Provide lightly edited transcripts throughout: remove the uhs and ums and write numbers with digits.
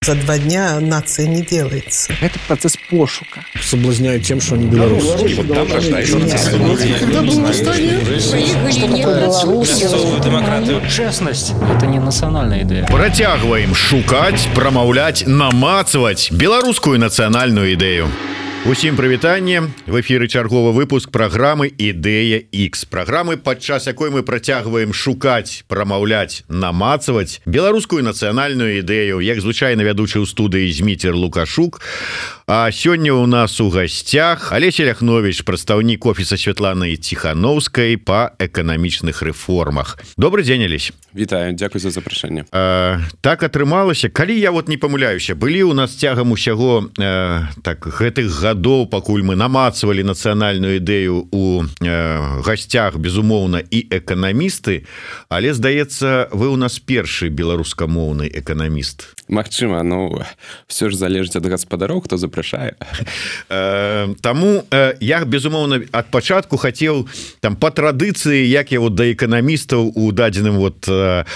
За 2 дня нация не делается. Это процесс пошука. Соблазняют тем, что они белорусы. И вот там рождается Когда было восстание? Честность – это не национальная идея. Працягваем шукаць, прамаўляць, намацваць беларускую нацыянальную ідэю. Усім прывітанне. В эфіры чарговы выпуск праграмы «Ідэя X». Праграмы, падчас якой мы працягваем шукаць, прамаўляць, намацваць беларускую нацыянальную ідэю. Як звычайна вядучы ў студыі Зміцер Лукашук. А сёння у нас у гасцях Алеся Ляхнович, прадстаўнік офіса Святланы Ціхановскай па эканамічных рэформах. Добрый дзень, Алесь. Вітаю, дзякуй за запрашэнне. Так атрымалася, калі я вот не памыляюся, былі у нас цягам усяго так гэтых гадоў, пакуль мы намацвалі нацыянальную ідэю у гасцях, безумоўна, і эканамісты, але, здаецца, вы у нас першы беларускамоўны эканаміст. Магчыма, ну, все ж залежыць ад гаспадароў, хто запрашае. Таму я, безумоўна, ад пачатку хацеў там па традыцыі, як я вот да эканамістаў у дадзеным вот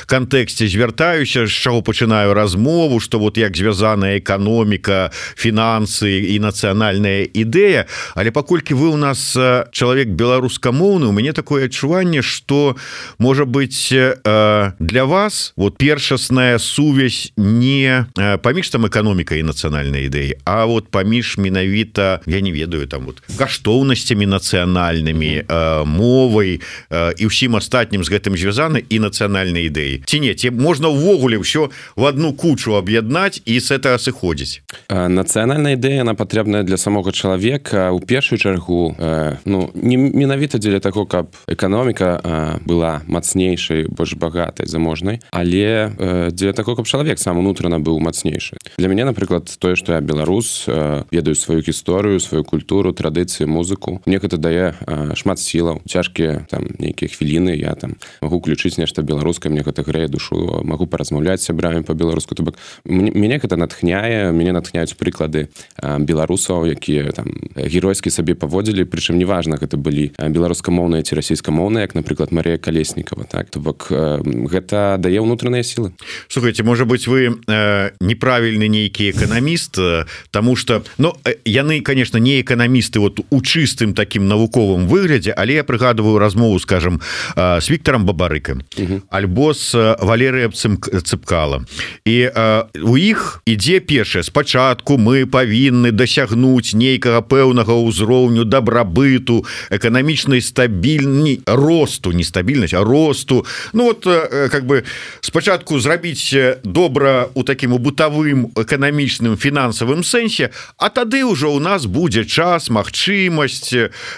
кантэксце звяртаюся, з чаго пачынаю размову, што вот як звязаная эканоміка, фінансы і нацыянальная ідэя, але паколькі вы у нас чалавек беларускамоўны, у мяне такое адчуванне, што можа быць для вас вот першасная сувязь не паміж там эканомікай і нацыянальнай ідэі, а вот паміж менавіта, я не ведаю, там вот каштоўнасцямі нацыянальнымі, мовай і ўсім астатнім з гэтым звязаны і нацыянальнай ідэі. Ці не, ці можна ўвогуле ўсё в одну кучу аб'яднаць і з этого сыходзіць? Нацыянальная ідэя, она патрэбная для самога чалавека у першую чаргу, ну, не менавіта дзеля таго, каб эканоміка была мацнейшай, больш багатай, заможнай, але дзеля таго, каб чалавек сам унутрана быў мацнейшы. Для мяне, напрыклад, тое, што я беларус, ведаю сваю гісторыю, сваю культуру, традыцыі, музыку, мне гэта дае шмат сілаў. Цяжкія там нейкія хвіліны, я там магу включыць нешта беларускае, мне гэта грэе душу, магу паразмаўляць з сябрамі па-беларуску. То бок мяне гэта натхняе, мяне натхняюць прыклады беларусаў, якія там геройскі сабе паводзілі, прычым неважна, гэта былі беларускамоўныя ці расійскамоўныя, як, напрыклад, Марія Калеснікава, так? То бок гэта дае ўнутраныя сілы. Слухайте, может быть, вы неправільны нейкі эканаміст, таму што, ну, яны, конечно, не эканамісты вот у чыстым такім навуковым выглядзе, але я прыгадываю размову, скажем, с Віктором Бабарыкам, альбо с Валерыем Цыпкала. І у іх ідзе першае: спачатку мы павінны дасягнуць нейкага пэўнага ўзроўню дабрабыту, эканамічнай стабільнасці, росту, не стабільнасць, а росту. Ну вот, как бы, спачатку зрабіць добра у такім бытавым, эканамічным, фінансавым сэнсе, а тады ўжо у нас будзе час, магчымасць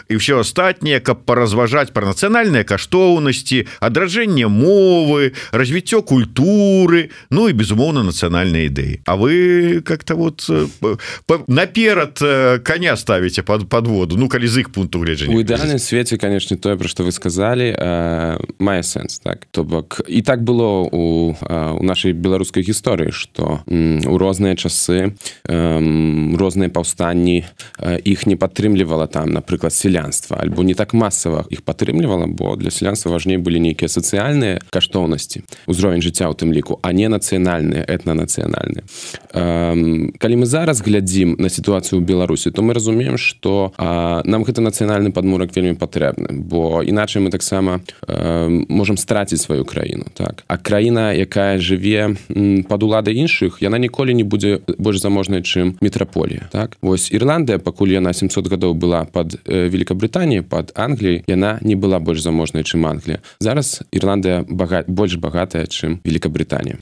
і ўсё астатняе, каб паразважаць пра нацыянальныя каштоўнасці, адраджэнне мовы, развіццё культуры, ну і, безумоўна, нацыянальныя ідэі. А вы как-то вот наперад коня ставіце пад воду, ну, калі з іх пункту гледжання. У ідэальным свеце, конечно, тое, пра што вы сказалі, мае сэнс, так? То бок, і так было у нашай беларускай гісторыі, што у розныя часы, розныя паўстанні іх не падтрымлівала там, напрыклад, сялянства, альбо не так масава іх падтрымлівала, бо для сялянства важней былі нейкія сацыяльныя каштоўнасці, узровень жыцця ў тым ліку, а не нацыянальныя, этнанацыянальныя. Калі мы зараз глядзім на сітуацыю ў Беларусі, то мы разумеем, што нам гэты нацыянальны падмурак вельмі патрэбны, бо іначай мы таксама можам страціць сваю краіну, так? А краіна, якая жыве пад уладай іншых, яна ніколі не будзе больш заможнай, чым метраполія, так? Вось Ірландыя, пакуль яна 700 гадоў была пад Великабрытаніяй, пад Англіяй, яна не была больш заможнай, чым Англія. Зараз Ірландыя больш багатая, чым Великабрытанія.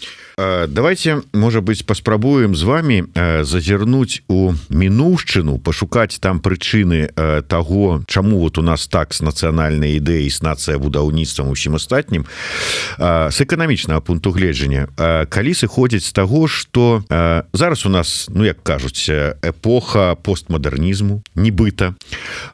Давайте, может быть, паспрабуем з вами зазірнуць у мінуўшчыну, пашукаць там прычыны таго, чаму вот у нас так з нацыянальнай ідэяй, з нацыябудаўніцтвам, усім астатнім, з эканамічнага пункту гледжання. Калі сыходзіць з таго, што зараз у нас, ну, як кажуць, эпоха постмадэрнізму, нібыта,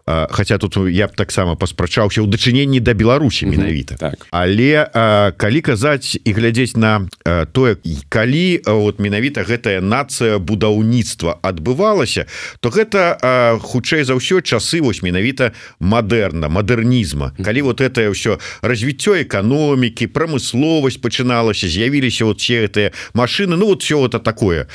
хаця тут я б таксама паспрачаўся ў дачыненні да Беларусі менавіта. Так. Але калі казаць і глядзець на тое, калі вот менавіта гэтая нацыябудаўніцтва адбывалася, то гэта хутчэй за ўсё часы вось менавіта мадэрнізма. Калі вот это ўсё развіццё эканомікі, прамысловасць пачыналася, з'явіліся вот все гэтыя машины медыцыны, ну вот все это такое.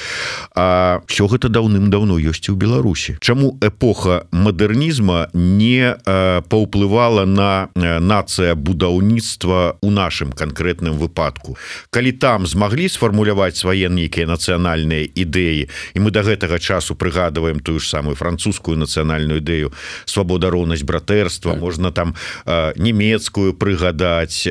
А все гэта даўным-даўно ёсць і ў Беларусі. Чаму эпоха мадэрнізма не паўплывала на нацыя будаўніцтва ў нашым канкрэтным выпадку? Калі там змаглі сфармуляваць свае нейкія нацыянальныя ідэі, і мы до гэтага часу прыгадываем тую ж самую французскую нацыянальную ідэю свабода, роўнасць, братэрства, можна там нямецкую прыгадаць,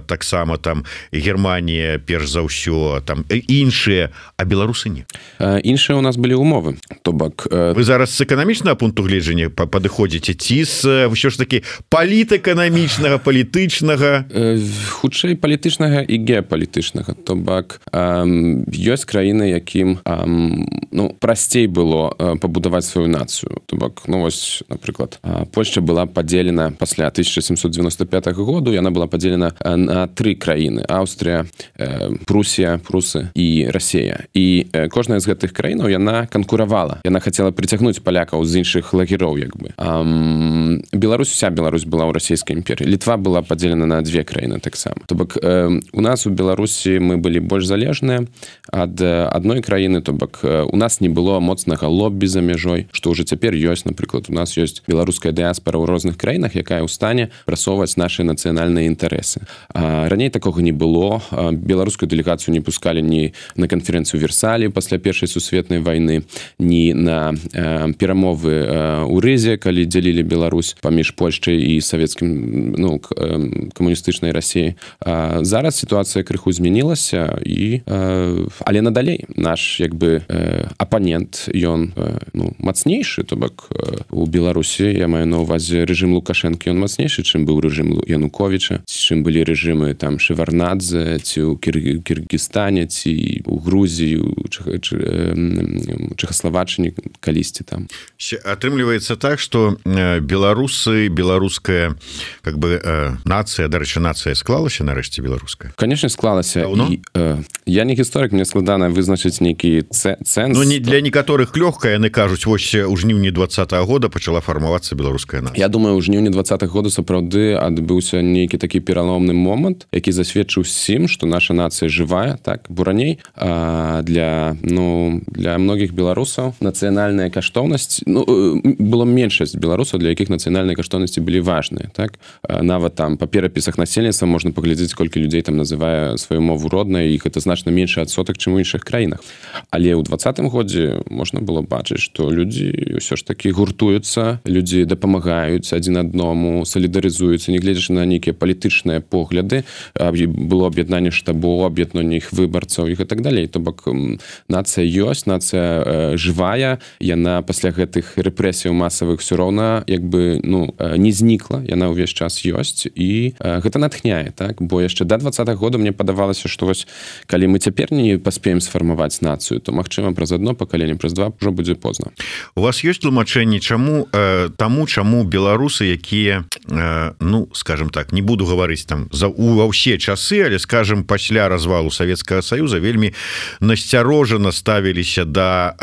таксама там Германія перш за ўсё, там іншыя, а беларусы не. Іншыя у нас былі умовы, то бок вы зараз з эканамічнага пункту гледжання падыходзіце ці з ўсё ж таки палітэканамічнага, палітычнага, хутчэй палітычнага і геапалітычнага, то бок ёсць краіны, якім прасцей было пабудаваць сваю нацыю, то бок, ну вось, напрыклад, Польшча была падзелена пасля 1795 году, яна была падзелена на 3 краіны: Аўстрыя, Прусія, прусы і Расія. І кожная з гэтых краінаў яна канкуравала, яна хацела прыцягнуць палякаў з іншых лагероў, як бы. Беларусь, уся Беларусь была ў расійскай імперыі. Літва была падзелена на 2 краіны таксама. То бок у нас у Беларусі мы былі больш залежныя ад адной краіны, то бок у нас не было моцнага лоббі за мяжой, што ўжо цяпер ёсць. Напрыклад, у нас ёсць беларуская дыяспара ў розных краінах, якая ў стане прасоўваць нашы нацыянальныя інтарэсы. Раней такога не было. Беларускую дэлегацыю не пускалі ні на канферэнцыю Версалі пасля Першай сусветнай вайны, ні на перамовы ў Рызе, калі дзялілі Беларусь паміж Польшчай і савецкім, камуністычнай Расіяй. Зараз сітуацыя крыху змянілася, але надалей наш, як бы, апанент, ён мацнейшы, то бок у Беларусі, я маю на ўвазе рэжым Лукашэнкі, ён мацнейшы, чым быў рэжым Януковіча, чым былі рэжымы там Шеварднадзе, ці ў Кіргізстане, ці ў Грузіі, Чэхаславаччыне калісьці там. Атрымліваецца так, што беларусы, беларуская, как бы, нацыя, дарэчы, нацыя склалася нарэшце беларуская? Канешне, склалася. Я не гісторык, мне складана вызначыць нейкі цэнс. Ну, не для некаторых лёгка, яны кажуць, вось у жніўні 20-го года пачала фармавацца беларуская нацыя. Я думаю, у жніўні 20-го года сапраўды адбыўся нейкі такі пераломны момант, які засведчыў усім, што наша нацыя жывая, так, бо раней для многіх беларусаў нацыянальная каштоўнасць, было меншасць беларусаў, для якіх нацыянальныя каштоўнасці былі важныя, так. Нават там па перапісах насельніцтва можна паглядзець, колькі людзей там называе сваю мову роднай, іх гэта значна меншы адсотак, чым у іншых краінах. Але ў 20-м годзе можна было бачыць, што людзі ўсё ж такі гуртуюцца, людзі дапамагаюць адзін аднаму, салідарызуюцца, не гледзячы на нейкія палітычныя погляды, было аб'яднанне штабоў, аб'яднанне іх выбарцаў і так далей. То бок нацыя ёсць, нацыя жывая, яна пасля гэтых рэпрэсіяў масавых ўсё роўна, як бы, не знікла, яна ўвесь час ёсць, і гэта натхняе, так, бо яшчэ да 20-го года мне падавалася, што вось калі мы цяпер не паспеем сфармаваць нацыю, то магчыма праз одно пакаленне, праз 2 ўжо будзе позна. У вас ёсць тлумачэнне, чаму беларусы, якія, скажем так, не буду гаварыць там ва ўсе часы, але, скажем, пасля развалу Савецкага Саюза вельмі насцярожана ставіліся да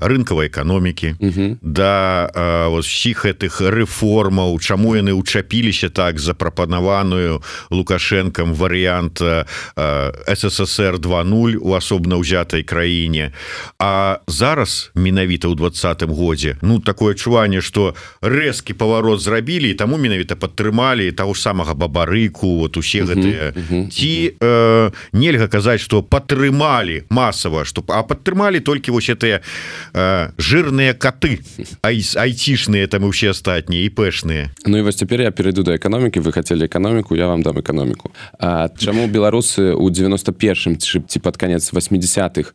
рынкавай эканомікі, да ўсіх гэтых рэформаў, чаму яны ўчапіліся так запрапанаваную Лукашэнкам варыянт СССР 2.0 у асобна ўзятай краіне. А зараз, менавіта ў 20-м годзе, такое адчуванне, што рэзкі паварот зрабілі, і таму менавіта падтрымалі таго ж самага Бабарыку, вот усе гэтыя. Ці нельга казаць, што падтрымалі масава, а падтрымалі толькі вось гэтыя жирныя каты, айцішныя там і ўсе астатнія, і пэшныя. Ну і вось цяпер я перайду да эканомікі, вы хацелі эканоміку, я вам дам эканоміку. Чаму беларусы ў 91-м ці пад канец 80-х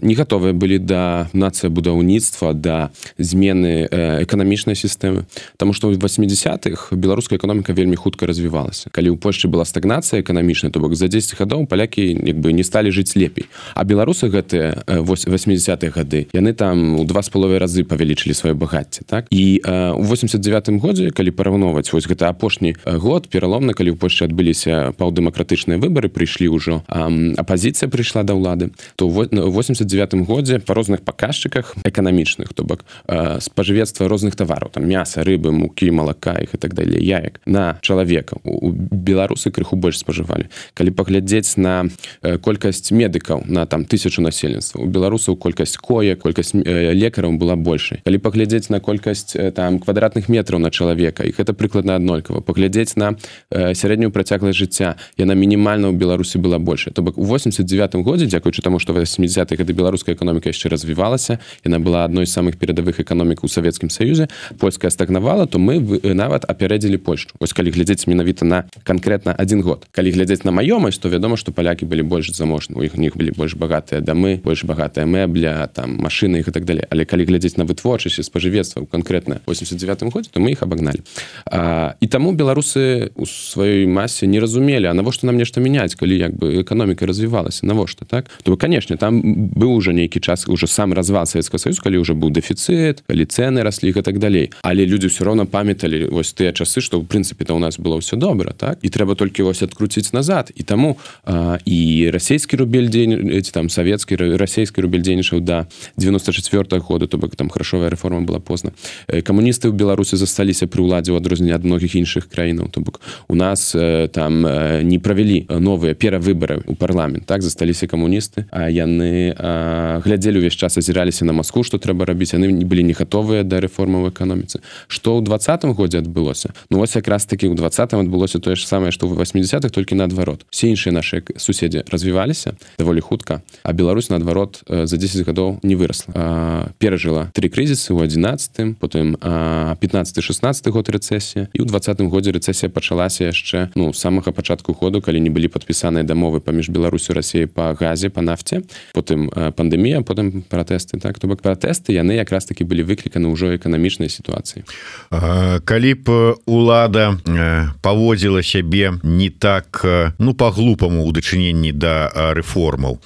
не гатовыя былі да нацыябудаўніцтва, да змены эканамічнай сістэмы? Таму што ў 80-х беларуская эканоміка вельмі хутка развівалася. Калі ў Польшчы была стагнацыя эканамічная, то бок за 10 гадоў палякі як бы не сталі жыць лепей. А беларусы гэтыя 80-е гады, яны там у 2,5 разы павялічылі сваё багацце, так? І у 89-м годзе, калі параўноўваць вось гэта апошні год пераломны, калі ў Польшчы адбыліся паўдэмакратычныя выбары, прыйшлі ўжо апазіцыя прыйшла да ўлады, то ў 89-м годзе па розных паказчыках эканамічных, то бок спажывецтва розных тавараў, там мяса, рыбы, мукі, малака і так далей, яек на чалавека. У беларусы крыху больш спажывалі. Калі паглядзець на колькасць медыкаў медыкаў на там 1000 насельніцтва. У беларусаў колькасць коек, колькасць лекараў была большай. Калі паглядзець на колькасць там квадратных метраў на чалавека, і гэта прыкладна аднолькава. Паглядзець на сярэднюю працягласць жыцця, яна мінімальна ў Беларусі была большая. То бок у 89 годзе, дзякуючы таму, што 80-х гады беларуская эканоміка яшчэ развівалася, яна была адной з самых перадавых эканомік у Савецкім Саюзе, польская стагнавала, то мы нават апярэдзілі Польшчу. Вось калі глядзець менавіта на канкрэтна один год. Калі глядзець на маёмасць, то вядома, што палякі былі больш заможны. У них былі больш багатыя дамы, больш багатая мэбля, там машыны і так далее. Але калі глядзець на вытворчасць і спажывецтва канкрэтна ў 89 годзе, то мы іх абагналі. І таму беларусы у сваёй масе не разумелі, а навошта нам нешта мяняць, калі як бы эканоміка развівалася, навошта, так? То, канешне, там быў ужо нейкі час, ужо сам развал Савецкага Саюза, калі ўжо быў дэфіцыт, калі цэны раслі і так далей. Але людзі ўсё роўна памяталі вось тыя часы, што ў прынцыпе-то ў нас было ўсё добра, так? І трэба толькі вось адкруціць назад. І таму і расійскі рубель там савецкі, расійскі рубель дзейнічаў да 94 года, то бок там грашовая рэформа была позна. Камуністы ў Беларусі засталіся пры ўладзе ў адрозненне ад многіх іншых краінаў. То бок у нас там не правялі новыя перавыбары ў парламент, так? Засталіся камуністы, а яны глядзелі ўвесь час, азіраліся на Маскву, што трэба рабіць, яны былі не гатовыя да рэформы ў эканоміцы. Што ў 20-м годзе адбылося? Ну вось якраз такі ў 20-м адбылося тое ж самае, што ў 80-х, толькі наадварот. Все іншыя нашыя суседзі развіваліся даволі хутка, а Беларусь наадварот за 10 гадоў не вырасла. Перажыла 3 крызісы ў 11-м, потым 15-16 год рэцэсія, і ў 20-м годзе рэцэсія пачалася яшчэ, ну, з самага пачатку году, калі не былі падпісаныя дамовы паміж Беларусю і Расіяй па газе, па нафце, потым пандэмія, потым пратэсты, так? То бок пратэсты, яны якраз такі былі выкліканы ўжо эканамічнай сітуацыі. Калі б улада паводзіла сябе не так, ну, па-глупаму ў дачыненні да рэформаў.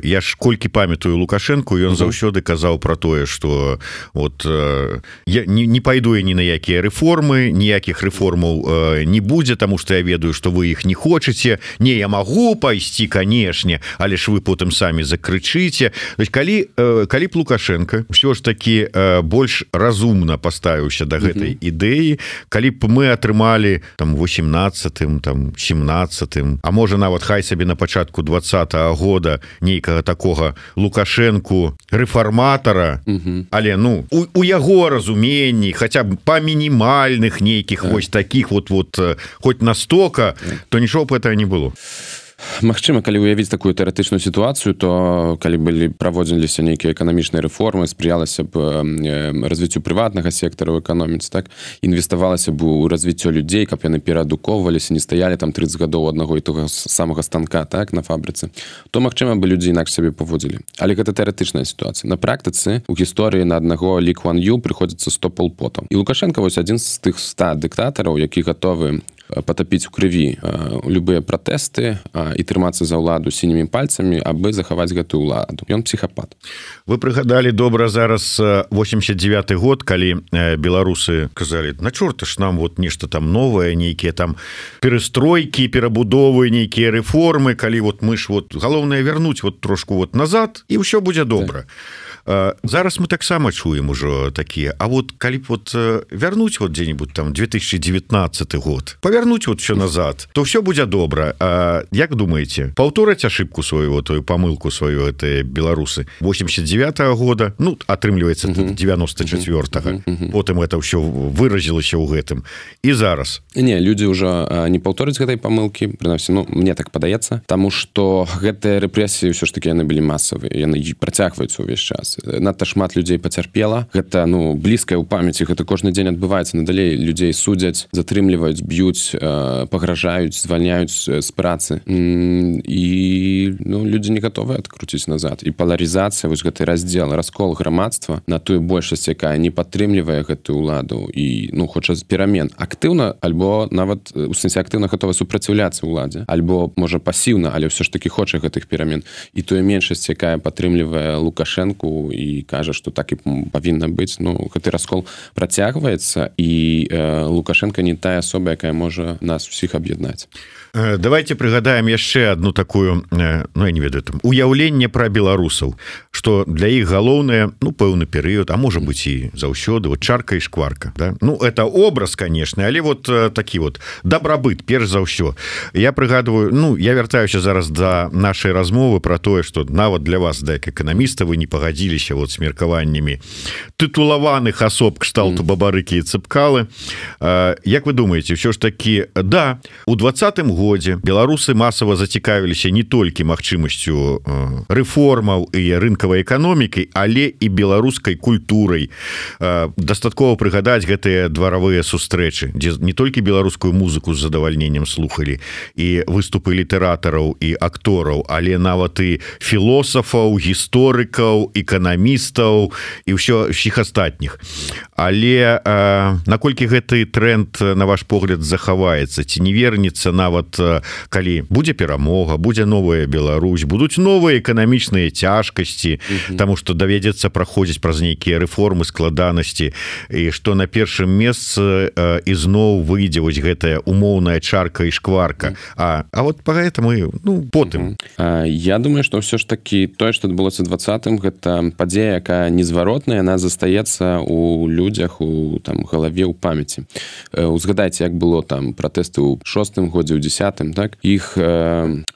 Я ж колькі памятаю Лукашенко, ён заўсёды казаў пра тое, што вот я не пайду я ні на якія рэформы, ніякіх рэформаў не будзе, таму што я ведаю, што вы іх не хочаце. Не, я магу пайсці, канешне, але ж вы потым самі закрычыце. Калі б Лукашенко ўсё ж такі больш разумна паставіўся да гэтай ідэі, калі б мы атрымалі там 18-м, там 17-м, а можа нават хай сабе на пачатку 20-го года нейкага такога Лукашенку рэформатара, але ну у яго разуменні, хаця б па мінімальных нейкіх вось такіх вот хоць настока, то нічого б гэтага не было. Магчыма, калі ўявіць такую тэарэтычную сітуацыю, то калі былі праводзіліся нейкія эканамічныя рэформы, спрыялася б развіццю прыватнага сектара ў эканоміцы, так? Інвеставалася б у развіццё людзей, каб яны пераадукоўваліся, не стаялі там 30 гадоў аднаго і того самага станка, так, на фабрыцы, то магчыма бы людзі інакш сябе паводзілі. Але гэта тэарэтычная сітуацыя. На практыцы у гісторыі на аднаго Лі Куан Ю прыходзіцца 100 полпотаў. І Лукашенко вось адзін з тых 100 дыктатараў, які гатовы патапіць у крыві любыя пратэсты і трымацца за ўладу сінімі пальцамі, абы захаваць гэтую ўладу. Ён псіхапат. Вы прыгадалі добра зараз 89 год, калі беларусы казалі, на чорта ж нам вот нешта там новае, нейкія там перастройкі, перабудовы, нейкія рэформы, калі вот мы ж вот галоўнае вярнуць вот трошку вот назад, і ўсё будзе добра. Зараз мы таксама чуем ужо такія, а вот калі б вот вярнуць вот дзе-нибудь там 2019 год, павярнуць вот все назад, то все будзе добра. Як думаеце, паўтораць ошибку свою, тую памылку сваю гэтыя беларусы 89-го года, ну атрымліваецца 94-го, потым это ўсё выразілася ў гэтым, і зараз не, людзі ўжо не паўтораць гэтай памылкі, прынамсі, ну мне так падаецца, таму што гэтыя рэпрэсіі ўсё ж такі яны былі масавыя, яны працягваюцца ўвесь час. Надта шмат людзей пацярпела. Гэта, ну, блізкае ў памяці, гэта кожны дзень адбываецца. Надалей людзей судзяць, затрымліваюць, б'юць, пагражаюць, звальняюць з працы. І, ну, людзі не гатовыя адкруціць назад. І паларызацыя, вось гэты раздзел, раскол грамадства на тую большасць, якая не падтрымлівае гэтую ўладу і, ну, хоча перамен. Актыўна, альбо нават, у сэнсе актыўна гатова супраціўляцца ўладзе, альбо, можа, пасіўна, але ўсё ж такі хоча гэтых перамен. І тую меншасць, якая падтрымлівае Лукашэнку, галаву і кажа, што так і павінна быць. Ну, гэты раскол працягваецца, і Лукашенко не тая асоба, якая можа нас усіх аб'яднаць. Давайте прыгадаем яшчэ одну такую, ну, я не ведаю, там, уяўленне пра беларусаў, што для іх галоўнае, ну, пэўны перыяд, а можа быць і заўсёды, вот чарка і шкварка, да? Ну, это образ, конечно, але вот такі вот дабрабыт, перш за ўсё. Я прыгадываю, ну, я вяртаюся зараз да нашай размовы пра тое, што нават для вас, да, як эканаміста, вы не пагадзіліся вот с меркаваннямі тытулаваных асоб кшталту Бабарыкі і Цыпкалы. Як вы думаеце, ўсё ж такі, да, у 20-м годзе беларусы масава зацікавіліся не толькі магчымасцю рэформаў і рынкавай эканомікай, але і беларускай культурай. Дастаткова прыгадаць гэтыя дваравыя сустрэчы, дзе не толькі беларускую музыку з задавальненнем слухалі і выступы літаратараў і актораў, але нават і філосафаў, гісторыкаў, эканамістаў і ўсіх астатніх. Але наколькі гэты тренд, на ваш погляд, захаваецца, ці не вернецца нават калі будзе перамога, будзе новая Беларусь, будуць новыя эканамічныя цяжкасці, таму што давядзецца праходзіць праз нейкія рэформы, складанасці, і што на першым месцы ізноў выйдзе вось гэтая умоўная чарка і шкварка. А вот поэтому, ну, потым. Я думаю, што ўсё ж такі тое, што адбылося ў 20-м, гэта падзея, якая незваротная, яна застаецца у людзях, у там галаве, у памяці. Узгадайце, як было там пратэсты ў 6-м годзе, у 10-м, так? Іх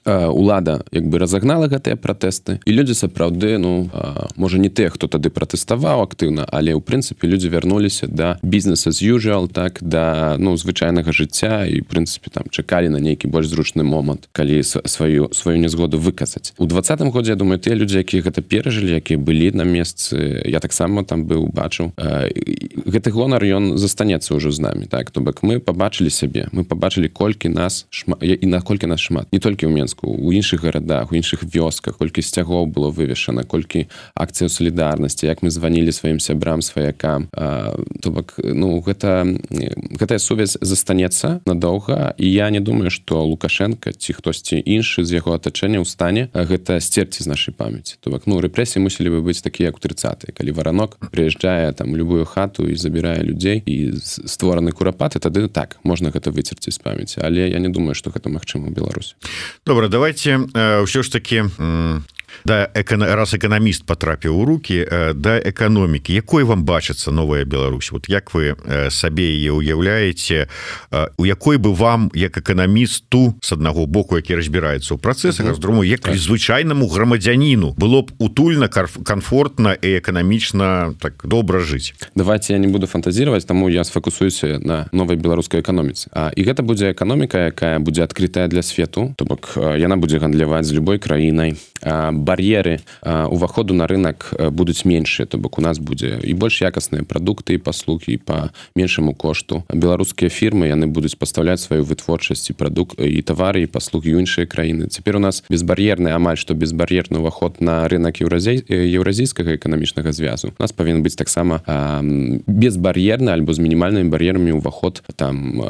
улада як бы разагнала гэтыя пратэсты, і людзі сапраўды, ну, можа не тыя, хто тады пратэставаў актыўна, але ў прынцыпе людзі вярнуліся да business as usual, так, да, ну, звычайнага жыцця, і в прынцыпе там чакалі на нейкі больш зручны момант, калі сваю незгоду выказаць. У 20-м годзе, я думаю, тыя людзі, якія гэта перажылі, якія былі на месцы, я таксама там быў, бачыў, гэты гонар, ён застанецца ўжо з намі, так? То бок мы пабачылі сябе, мы пабачылі, колькі нас шмат, і наколькі нас шмат. Не толькі ў Менску, у іншых гарадах, у іншых вёсках, колькі сцягоў было вывешана, колькі акцыяў салідарнасці, як мы званілі сваім сябрам, сваякам. То бок, ну, гэтая сувязь застанецца надоўга, і я не думаю, што Лукашенко ці хтосьці іншы з яго атачэння ў стане гэта сцерці з нашай памяці. То бок, ну, рэпрэсіі мусілі бы быць такія, як у 30-е, калі варанок прыязджае там любую хату і забірае людзей, і створаны курапаты, тады так, можна гэта выцерці з памяці, але я не думаю, што гэта магчыма ў Беларусі. Добра, давайте ўсё ж такі да, раз эканаміст потрапіў у руки, да эканомікі, якой вам бачыцца новая Беларусь? Вот як вы сабе яе уяўляеце, у якой бы вам, як эканамісту, з аднаго боку, які разбіраецца ў працэсах, а з другого, як звычайнаму грамадзяніну было б утульна, комфортна і эканамічна так добра жыць? Давайте я не буду фантазировать, таму я сфокусуюся на новай беларускай эканоміцы. І гэта будзе эканоміка, якая будзе адкрытая для свету, то бок яна будзе гандляваць з любой краінай. Бар'еры уваходу на рынок будуць меншыя, то бок у нас будзе і больш якасныя прадукты і паслугі па меншаму кошту. Беларускія фірмы, яны будуць пастаўляць сваю вытворчасць і прадукт і тавары і паслугі ў іншыя краіны. Цяпер у нас безбар'ерны, амаль што безбар'ерны ўваход на рынок еўразійскага эканамічнага звязу. У нас павінен быць таксама безбар'ерны альбо з мінімальнымі бар'ерамі ўваход там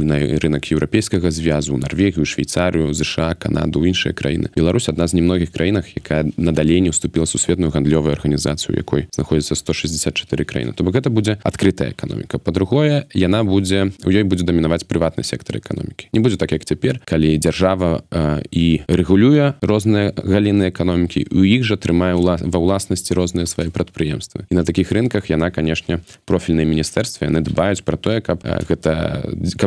на рынок еўрапейскага звязу, Нарвегію, Швейцарыю, ЗША, Канаду, іншыя краіны. Беларусь адна з немногіх краінах, якая надалей не ўступіла сусветную гандлёвую арганізацыю, якой знаходзіцца 164 краіны. То бок гэта будзе адкрытая эканоміка. Па-другое, у ёй будзе дамінаваць прыватны сектар эканомікі. Не будзе так, як цяпер, калі дзяржава і рэгулюе розныя галіны эканомікі, у іх жа трымае ва ўласнасці розныя свае прадпрыемствы. І на такіх рынках яна, канешне, профільныя міністэрствы, яны дбаюць пра тое, каб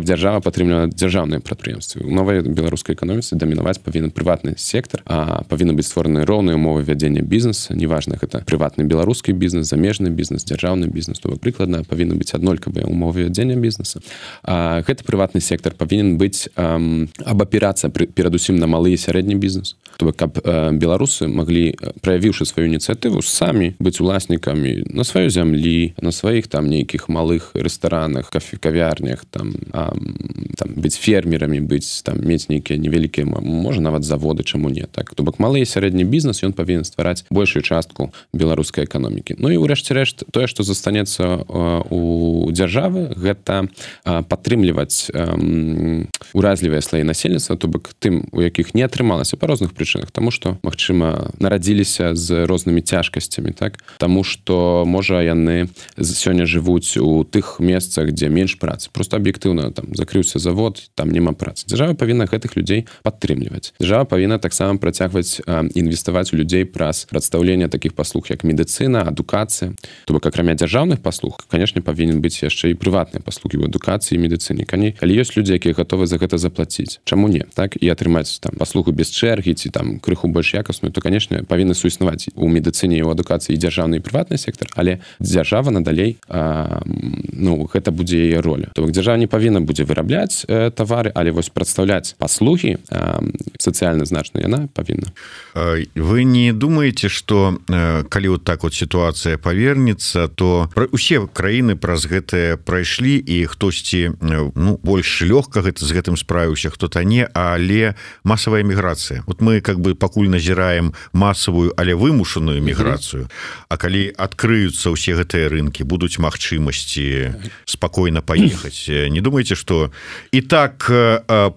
дзяржава падтрымлівала дзяржаўныя прадпрыемствы. У новай беларускай эканоміцы дамінаваць павінен прыватны сектар, а павінны быць створаны роўныя умовы вядзення бізнеса, неважна, гэта прыватны беларускі бізнес, замежны бізнес, дзяржаўны бізнес, то прыкладна павінны быць аднолькавыя умовы вядзення бізнеса. Гэты прыватны сектар павінен быць абапірацца перадусім на малы і сярэдні бізнес. То бок, каб беларусы маглі, праявіўшы сваю ініцыятыву, самі быць уласнікамі на сваёй зямлі, на сваіх там нейкіх малых рэстаранах, кавярнях, там быць фермерамі, быць там мець нейкія невялікія, можа нават заводы, чаму не, так. То бок малыя сярэдні бізнес, ён павінен ствараць большую частку беларускай эканомікі. Ну і ўрэшце рэшт, тое, што застанецца у дзяржавы, гэта падтрымліваць уразлівыя слаі насельніцтва, то бок тым, у якіх не атрымалася па розных прычынах, таму што, магчыма, нарадзіліся з рознымі цяжкасцямі, так? Таму што, можа, яны сёння жывуць у тых месцах, дзе менш працы. Просто аб'ектыўна, там, закрыўся завод, там няма працы. Дзяржава павінна гэтых людзей падтрымліваць. Дзяржава павінна таксама працягваць інвеставаць у людзей праз прадстаўленне такіх паслуг, як медыцына, адукацыя. То бок, акрамя дзяржаўных паслуг, канешне, павінен быць яшчэ і прыватныя паслугі ў адукацыі і медыцыне. Калі ёсць людзі, якія гатовы за гэта заплаціць, чаму не, так? І атрымаць там паслугу без чэргі ці там крыху больш якасную, то, канешне, павінны суіснаваць у медыцыне і ў адукацыі і дзяржаўны і прыватны сектар, але дзяржава надалей, гэта будзе яе роля. То бок, дзяржава не павінна будзе вырабляць тавары, але вось прадстаўляць паслугі сацыяльна значна яна павінна. Вы не думаеце, што калі вот так вот сітуацыя павернецца, то усе краіны праз гэтае прайшлі і хтосьці больш лёгка з гэтым справіўся, хто-то не, але масавая міграцыя. Вот мы как бы пакуль назіраем масавую, але вымушаную міграцыю. А калі адкрыюцца ўсе гэтыя рынкі, будуць магчымасці спакойна паехаць. Не думаеце, што і так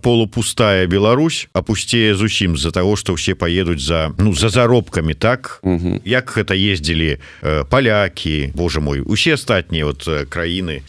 полупустая Беларусь апусцее зусім з-за таго, што ўсе паедуць за заробкамі, так? Як гэта ездзілі палякі, боже мой, усе астатнія вот краіны?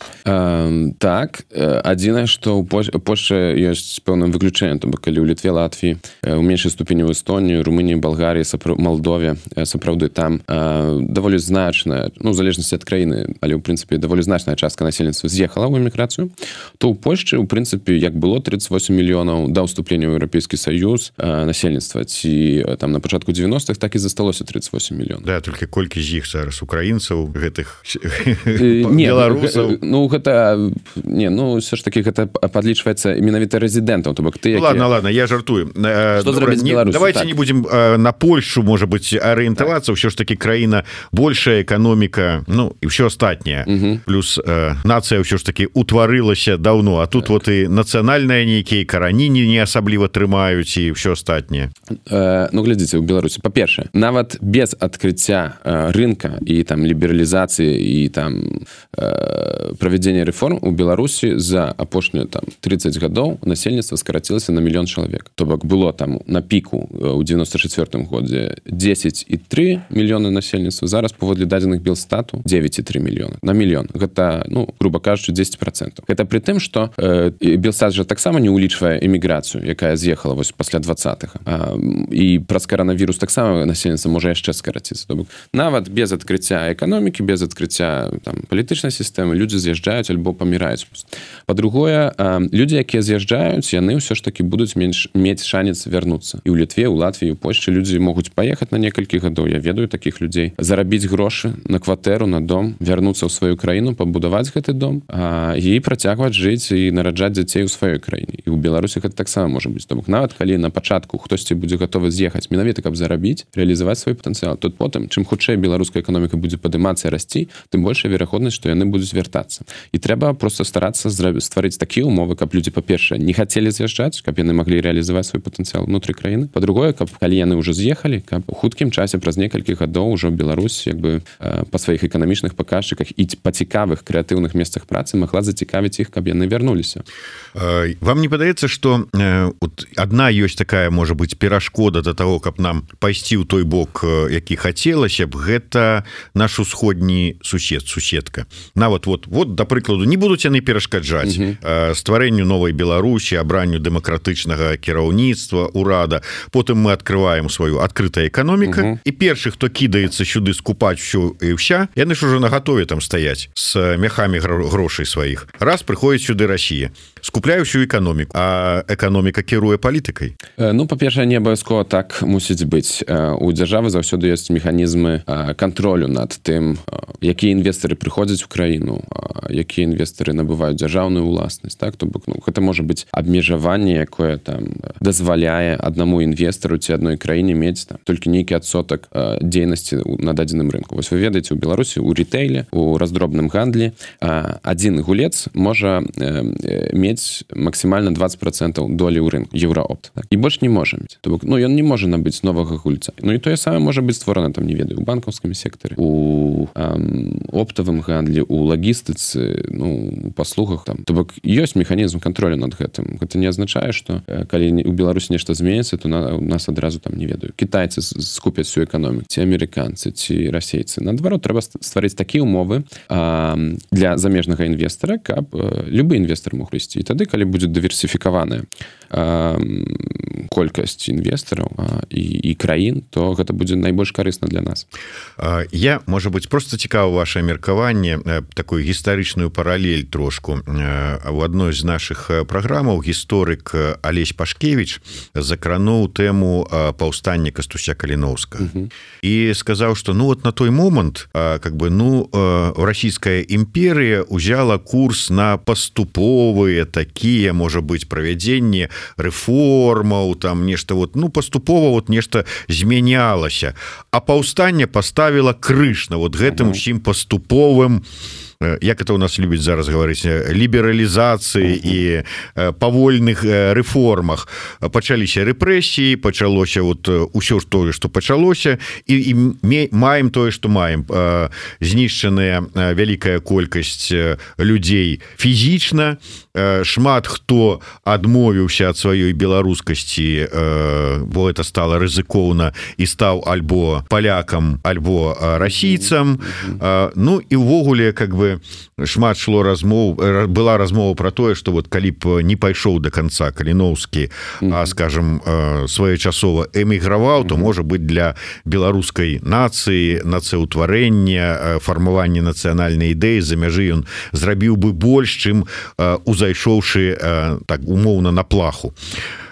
Так, адзінае, што ў Польшчы ёсць пэўным выключэннем, то бок калі ў Літве, Латвіі, у меншай ступені ў Эстонію, Румыніі, Балгарыі, Малдове, сапраўды там даволі значная, в залежнасці ад краіны, але ў прынцыпе даволі значная частка насельніцтва з'ехала ў эміграцыю, то ў Польшчы ў прынцыпе як было 38 мільёнаў да ўступлення ў Еўрапейскі Саюз насельніцтва, ці там на пачатку 90-х, так і засталося 38 мільёнаў. Да, толькі колькі з іх зараз украінцаў, гэтых беларусаў? Все ж таки гэта падлічваецца менавіта рэзідэнтаў, то бок ты, які... Ладно, я жартую. Што зрабіць з Беларусю? Давайте не будем на Польшу, можа быць, арыентавацца, ўсё ж таки краіна большая, эканоміка, і ўсё астатняе. Плюс нацыя ўсё ж таки утварылася даўно, а тут вот і нацыянальныя нейкія карані не асабліва трымаюць і ўсё астатняе. Глядзіце, у Беларусі, па-першае, нават без адкрыцця рынка і там лібералізацыі і там правядзення рэформ у Беларусі за апошнія там 30 гадоў насельніцтва скарацілася на 1 мільён чалавек. То бок было там на піку ў 94 годзе 10,3 мільёны насельніцтва, зараз паводле дадзеных Белстату 9,3 мільёна на мільён. Гэта, груба кажучы, 10%. Гэта пры тым, што Белстат жа таксама не улічвае эміграцыю, якая з'ехала вось пасля 20-х. І праз каранавірус таксама насельніцтва можа яшчэ скараціцца. То бок нават без адкрыцця эканомікі, без адкрыцця там палітычнай сістэмы людзі з'язджаюць альбо паміраюць. Па-другое, людзі, якія з'язджаюць, яны ўсё ж такі будуць мець шанец вярнуцца. І ў Літве, у Латвіі, у Польшчы людзі могуць паехаць на некалькі гадоў, я ведаю такіх людзей, зарабіць грошы на кватэру, на дом, вярнуцца ў сваю краіну, пабудаваць гэты дом і працягваць жыць і нараджаць дзяцей у сваёй краіне. І ў Беларусі гэта таксама можа быць. То бок нават калі на пачатку хтосьці будзе гатовы з'ехаць менавіта, каб зарабіць, рэалізаваць свой патэнцыял, то потым, чым хутчэй беларуская эканоміка будзе падымацца і расці, тым большая верагоднасць, што яны будуць вяртацца. І трэба проста старацца стварыць такія ўмовы, каб людзі, па-першае, не хацелі з'язджаць, каб яны маглі рэалізаваць свой патэнцыял унутры краіны. Па-другое, каб калі яны ўжо з'ехалі, каб у хуткім часе праз некалькі гадоў ужо Беларусь па сваіх эканамічных паказчыках і па цікавых крэатыўных месцах працы магла зацікавіць іх, каб яны вярнуліся. Вам не падаецца, што адна ёсць такая, можа быць, перашкода да таго, каб нам пайсці ў той бок, які хацелася б, гэта наш усходні суседка. Нават да прыкладу, не будуць яны перашкаджаць стварэнню новай Беларусі, абранню дэмакратычнага кіраўніцтва, урада. Потым мы открываем сваю адкрытая эканоміка, і першы, хто кідаецца сюды скупаць ўсё і ўся, яны ж ужо нагатове там стаяць з мяхамі грошай сваіх. Раз прыходзіць сюды Расія, скупляе ўсю эканоміку, а эканоміка кіруе палітыкай. Па-першае, не абавязкова так мусіць быць. У дзяржавы заўсёды ёсць механізмы кантролю над тым, якія інвестары прыходзяць у краіну, якія інвестары набываюць дзяржаўную ўласнасць, так? То бок, гэта можа быць абмежаванне, якое там дазваляе аднаму інвестару ці адной краіне мець там толькі нейкі адсотак дзейнасці на дадзеным рынку. Вось вы ведаеце, у Беларусі у ритэйле, у раздробным гандлі адзін гулец можа мець максімальна 20% долі ў рынку Еўраопт. Так? І больш не можа мець. То бок, ён не можа набыць новага гульца. І тое самае можа быць створана, там, не ведаю, у банкаўскім сектары, у оптавым гандлі, у лагістыцы, у паслугах. Там. То бок, ёсць механізм кантролю над гэтым. Гэта не азначае, што калі у Беларусі нешта зменіцца, то у нас адразу, там, не ведаю, кітайцы скупяць всю эканоміку, ці амерыканцы, ці расейцы. Наадварот, трэба стварыць такія ўмовы для замежнага інвестара, каб любы інвестар мог прыйсці. І тады, калі будзе дыверсіфікаваная колькасць інвестараў і краін, то гэта будзе найбольш карысна для нас. Я, можа быць, просто цікава ваше меркаванне, такую гістарычную паралель трошку. У адной з нашых праграмаў гісторык Алесь Пашкевіч закрануў тэму паўстання Кастуся Каліноўскага. І сказаў, што на той момант расійская імперія ўзяла курс на паступовыя такія, можа быць, правядзенне рэформаў, там нешта паступова нешта змянялася, а паўстанне паставіла крыж на гэтым усім паступовым, як это у нас любіць зараз гаварыць, лібералізацыі і павольных рэформах. Пачаліся рэпрэсіі, пачалося ўсё тое, што пачалося, і маем тое, што маем. Знішчаная вялікая колькасць людзей фізічна, шмат хто адмовіўся ад сваёй беларускасці, бо это стала рызыкоўна, і стаў альбо палякам, альбо расійцам. І ўвогуле, шмат шло размоў, была размова про тое, што калі б не пайшоў до конца Каліноўскі, а, скажем, своечасова эміграваў, то, можа быць, для беларускай нацыі, нацыўтварэння, фармавання нацыянальнай ідэі за мяжы ён зрабіў бы больш, чым узайшоўшы так умоўна на плаху.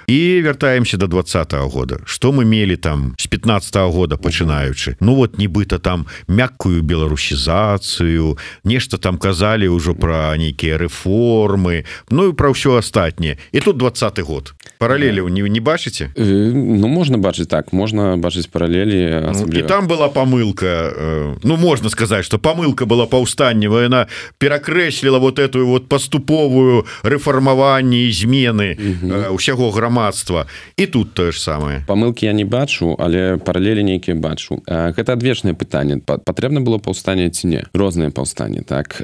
І вяртаемся до 20-го года. Што мы мелі там з 15-го года пачынаючы? Нібыта там мяккую беларусізацыю, нешта там казалі ўжо пра нейкія рэформы, і пра ўсё астатняе. І тут 20-й год. Паралелі не бачыце? Можна бачыць так, можна бачыць паралелі. І там была памылка, можна сказаць, што памылка была паўстанне, яна перакрэсліла эту паступовую рэфармаванне і змены ўсяго грамадства. І тут тое ж самае. Памылкі я не бачу, але паралелі нейкія бачу. Гэта адвечнае пытанне. Патрэбна было паўстанне ці не? Розныя паўстанні, так.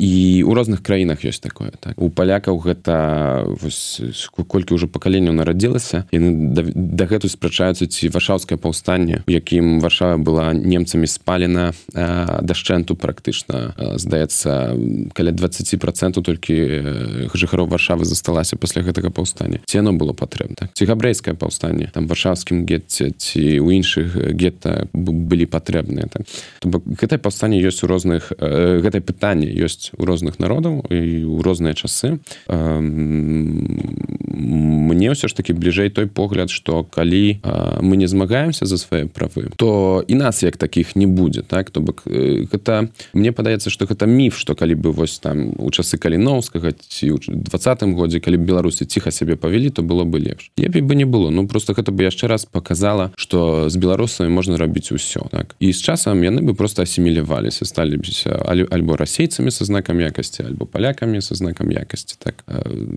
І ў розных краінах ёсць такое, так. У палякаў гэта колькі ўжо пакаленняў нарадзілася, яны дагэтуль спрачаюцца, ці варшаўскае паўстанне, у якім Варшава была немцамі спалена дашчэнту практычна. Здаецца, каля 20% толькі жыхароў Варшавы засталася пасля гэтага паўстання. Ці яно было патрэбна. Так? Ці габрэйскае паўстанне, там варшаўскім гетце, ці ў іншых гетта былі патрэбныя. Так? Гэтае паўстанне ёсць у розных, гэтае пытанне ёсць у розных народаў і ў розныя часы. Мне ўсё ж такі бліжэй той погляд, што калі мы не змагаемся за свае правы, то і нас як такіх не будзе. Так? То бок, гэта, мне падаецца, што гэта міф, што калі бы там у часы Каліноўскага ці ў 20-м годзе, калі б беларусы ціха сябе павялі, то было бы лепш. Лепей бы не было. Просто гэта бы яшчэ раз показала, што з беларусамі можна рабіць усё. Так? І з часам яны бы просто асіміляваліся, сталі альбо расейцамі са знакам якасці, альбо палякамі са знакам якасці. Так?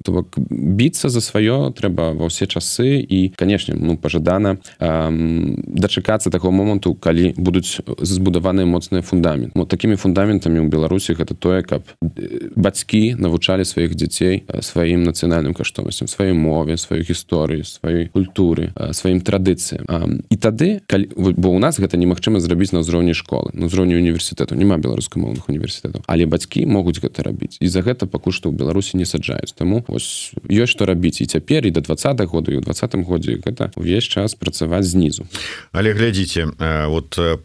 То бок, біцца за сваё трэба ва ўсе часы і, канешне, пажадана дачакацца такого моманту, калі будуць збудаваныя моцныя фундаменты. Такімі фундаментамі ў Беларусі гэта тое, каб бацькі навучалі сваіх дзяцей сваім нацыянальным каштоўнасцям, сваёй мове, сваёй гісторыі, сваёй культуры, сваім традыцыям. І тады, бо ў нас гэта немагчыма зрабіць на ўзроўні школы, на ўзроўні універсітэту. Няма беларускамоўных універсітэтаў. Але бацькі могуць гэта рабіць. І за гэта пакуль што ў Беларусі не саджаюць. Таму ёсць што рабіць і цяпер, і да 20-х году, і ў 20-м годзе гэта ўвесь час працаваць знізу. Але глядзіце,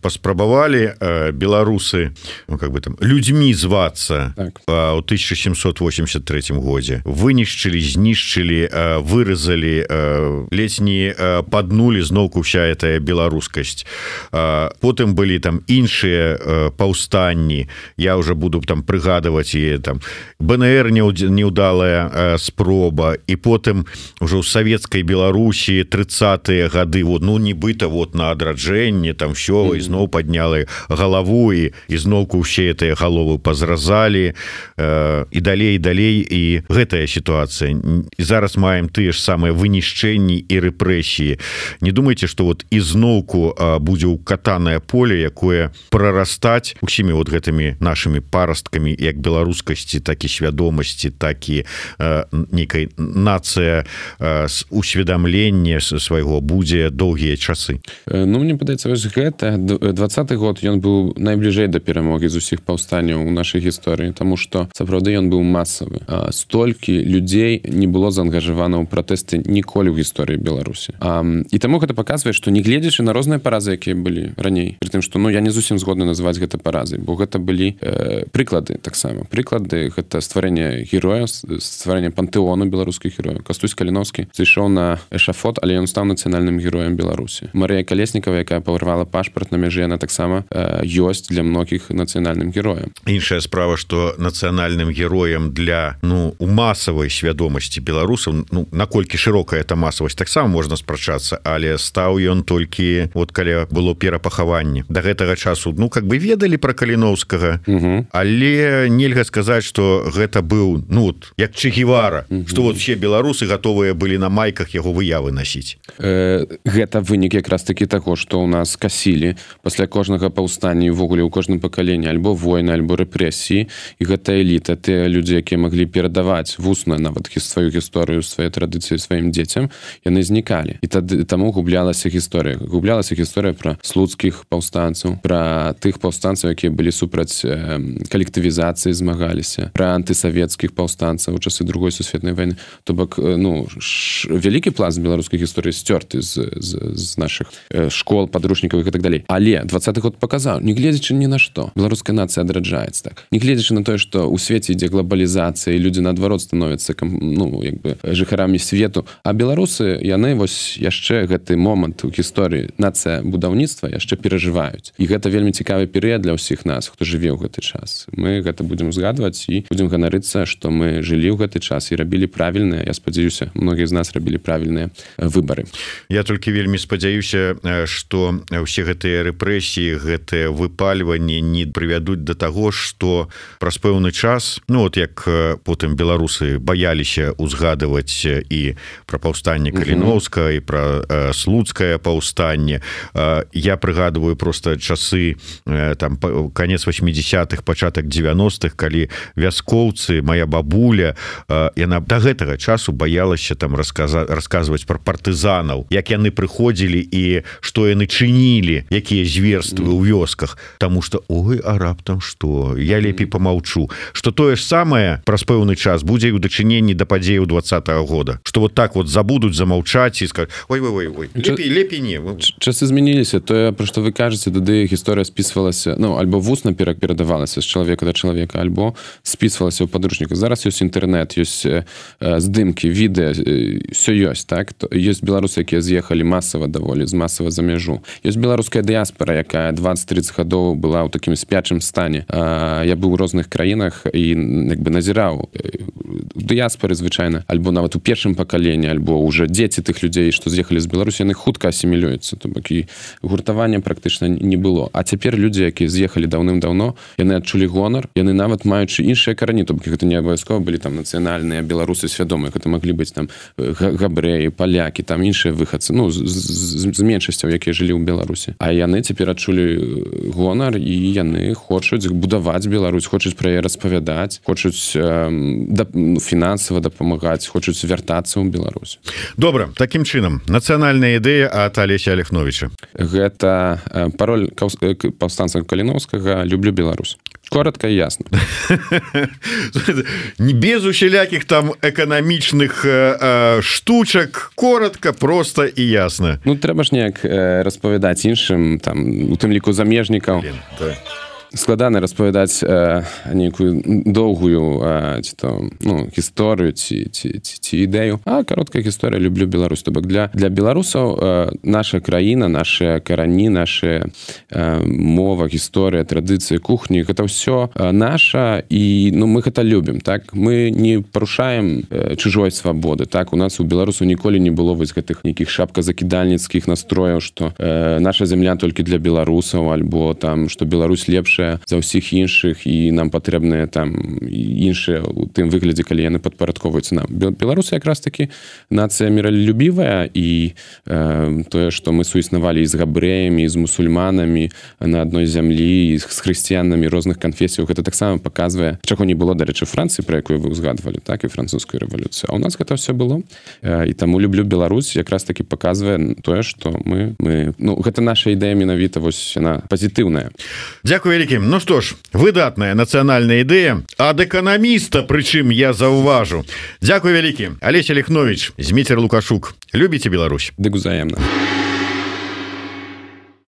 паспрабавалі беларусы людзьмі звацца ў 1783 годзе. Вынішчылі, знішчылі, выразалі ледзь не паднули зноўку вся эта беларускасць. Потым былі там іншыя паўстанні, я уже буду там прыгадваць, і там БНР неўдалая спроба, і потым уже ў савецкай Беларусі 30-е гады, вот, ну нібыта вот на адраджэнне там все, і зноў паднялі галаву, і зноўку ўсе гэтыя галовы пазразалі, і далей, і гэтая сітуацыя. І зараз маем тыя ж самыя вынішчэнні і рэпрэсіі. Не думайте, што вот ізноўку будзе ўкатанае поле, якое прарастаць усімі вот гэтымі нашымі парасткамі, як беларускасці, так і свядомасці, так і нейкай нацыя усведамлення свайго будзе доўгія часы. Ну, мне падаецца, вось гэта 20-й год, ён быў найбліжэй да перамогі з усіх паўстанняў у нашай гісторыі, таму што сапраўды ён быў масавы. Столькі людзей не было заангажавана ў пратэсты ніколі ў гісторыі Беларусі. І таму гэта паказвае, што не гледзячы на розныя паразы, якія былі раней, пры тым, што я не зусім згодны называць гэта паразай, бо гэта былі прыклады таксама. Прыклады гэта стварэнне героя, стварэнне пантэону беларускіх герояў. Кастусь Каліновскі зайшоў на эшафот, але ён стаў нацыянальным героем Беларусі. Марыя Калеснікава, якая павырвала пашпарт на мяжы, яна таксама ёсць для многіх нацыянальным героем. Іншая справа, што нацыянальным героем для у масавай свядомасці беларусаў, наколькі шырокая эта масавасць, таксама можна спрачацца, але стаў ён толькі вот калі было перапахаванне. Да гэтага часу как бы ведалі пра Каліновскага, але нельга сказаць, што гэта быў як Че Гевара, што вот все беларусы гатовыя былі на майках яго выявы насіць. Гэта вынік якраз такі таго, што ў нас касілі пасля кожнага паўстання, увогуле ў кожным пакаленні альбо войны, альбо рэпрэсіі, і гэта эліта, тыя людзі, якія маглі перадаваць вусна нават сваю гісторыю, свае традыцыі сваім дзецям, яны знікалі. І таму гублялася гісторыя. Гублялася гісторыя пра слуцкіх паўстанцаў, пра тых паўстанцаў, якія былі супраць калектывізацыі, змагаліся, пра антысавецкіх паўстанцаў у часы Другой сусветнай вайны. То бок, вялікі пласт беларускай гісторыі сцёрты з нашых школ, падручнікавых і так далей. Але 20-й год паказаў, не гледзячы ні на што, беларуская нацыя адраджаецца так. Не гледзячы на тое, што ў свеце ідзе глобалізацыя, і людзі наадварот становяцца жыхарамі свету, а беларусы, яны вось яшчэ гэты момант у гісторыі нацыя будаўніцтва яшчэ перажываюць. І гэта вельмі цікавы перыяд для ўсіх нас, хто жыве ў гэты час. Мы гэта будзем згадваць і будзем ганарыцца, што мы жылі ў гэты час і рабілі правільныя, я спадзяюся, многія з нас рабілі правільныя выбары. Я толькі вельмі спадзяюся, што ўсе гэтыя рэпрэсіі, гэтыя выпальванні не прывядуць да таго, што праз пэўны час, як потым беларусы баяліся узгадываць і пра паўстанне Каліновскага, і пра слуцкае паўстанне. Я прыгадываю просто часы там канец 80-х, пачатак 90-х, калі вяскоўцы, моя бабуля, яна да гэтага часу баялася там расказваць пра партызанаў, як яны прыходзілі і што яны чынілі, якія зверствы ў вёсках, таму што а раптам што, я лепей помаўчу, што тое ж самае праз пэўны час будзе і ў дачыненні да падзеяў 20-го года, што вот так вот забудуць, замаўчаць і скажуць ой, лепей не. Часы змяніліся, тое, пра што вы кажаце, тады гісторыя спісвалася, альбо вусна перадавалася з чалавека да чалавека, альбо спісвалася ў падручніках. Зараз ёсць інтэрнэт, ёсць здымкі, відэа, ўсё ёсць, так? Ёсць беларусы, якія з'ехалі масава даволі, масава за мяжу. Ёсць беларуская дыяспара, якая 20-30 гадоў была ў такім спячым стане. Я быў у розных краінах і назіраў у дыяспары звычайна, альбо нават у першым пакаленні, альбо ўжо дзеці тых людзей, што з'ехалі з Беларусі, яны хутка асімілююцца, то бок і гуртавання практычна не было. А цяпер людзі, якія з'ехалі даўным-даўно, яны адчулі гонар, яны нават маючы іншыя карані, то бок гэта не абавязкова былі там нацыянальныя беларусы свядомыя, гэта маглі быць там габрэі, палякі, там іншыя выхадцы, з меншасцяў, якія жылі ў Беларусі. А яны цяпер адчулі гонар і яны хочуць будаваць Беларусь, хочуць пра яе распавядаць, хочуць фінансава дапамагаць, хочуць вяртацца ў Беларусь. Добра, такім чынам, нацыянальная ідэя ад Алеся Аляхновіча. Гэта пароль паўстанца Каліновскага «Люблю Беларусь». Коротко и ясно. Не без усялякіх там эканамічных штучак, коротко, просто і ясно. Трэба ж неяк распавядаць іншым, там, у тым ліку замежнікаў. складана распавядаць нейкую доўгую ці то гісторыю ці ідэю, а кароткая гісторыя люблю Беларусь. То бок для беларусаў наша краіна, нашы карані, наша мова, гісторыя, традыцыі, кухні, гэта ўсё наша, і мы гэта любім, так? Мы не парушаем чужой свабоды, так? У нас у беларусаў ніколі не было вось гэтых нейкіх шапказакідальніцкіх настрояў, што наша зямля толькі для беларусаў, альбо там, што Беларусь лепшая за ўсіх іншых, і нам патрэбныя там іншыя у тым выглядзе, калі яны падпарадковваюцца нам. Беларусы якраз такі нацыя міралюбівая, і тое, што мы суіснавалі і з габрэямі, і з мусульманамі на адной зямлі, і з хрысціянамі розных канфесіяў, гэта таксама паказвае, чаго не было, дарэчы, Францыі, пра якую вы ўзгадвалі, так, і французскую рэвалюцыю. А ў нас гэта ўсё было. І таму люблю Беларусь, якраз такі паказвае тое, што гэта наша ідэя менавіта, вось яна пазітыўная. Дзякуй вялікі. Ну што ж, выдатная нацыянальная ідэя ад эканаміста, прычым я заўважу. Дзякуй вялікі. Алесь Алехновіч, Зміцер Лукашук. Любіце Беларусь? Дык узаемна.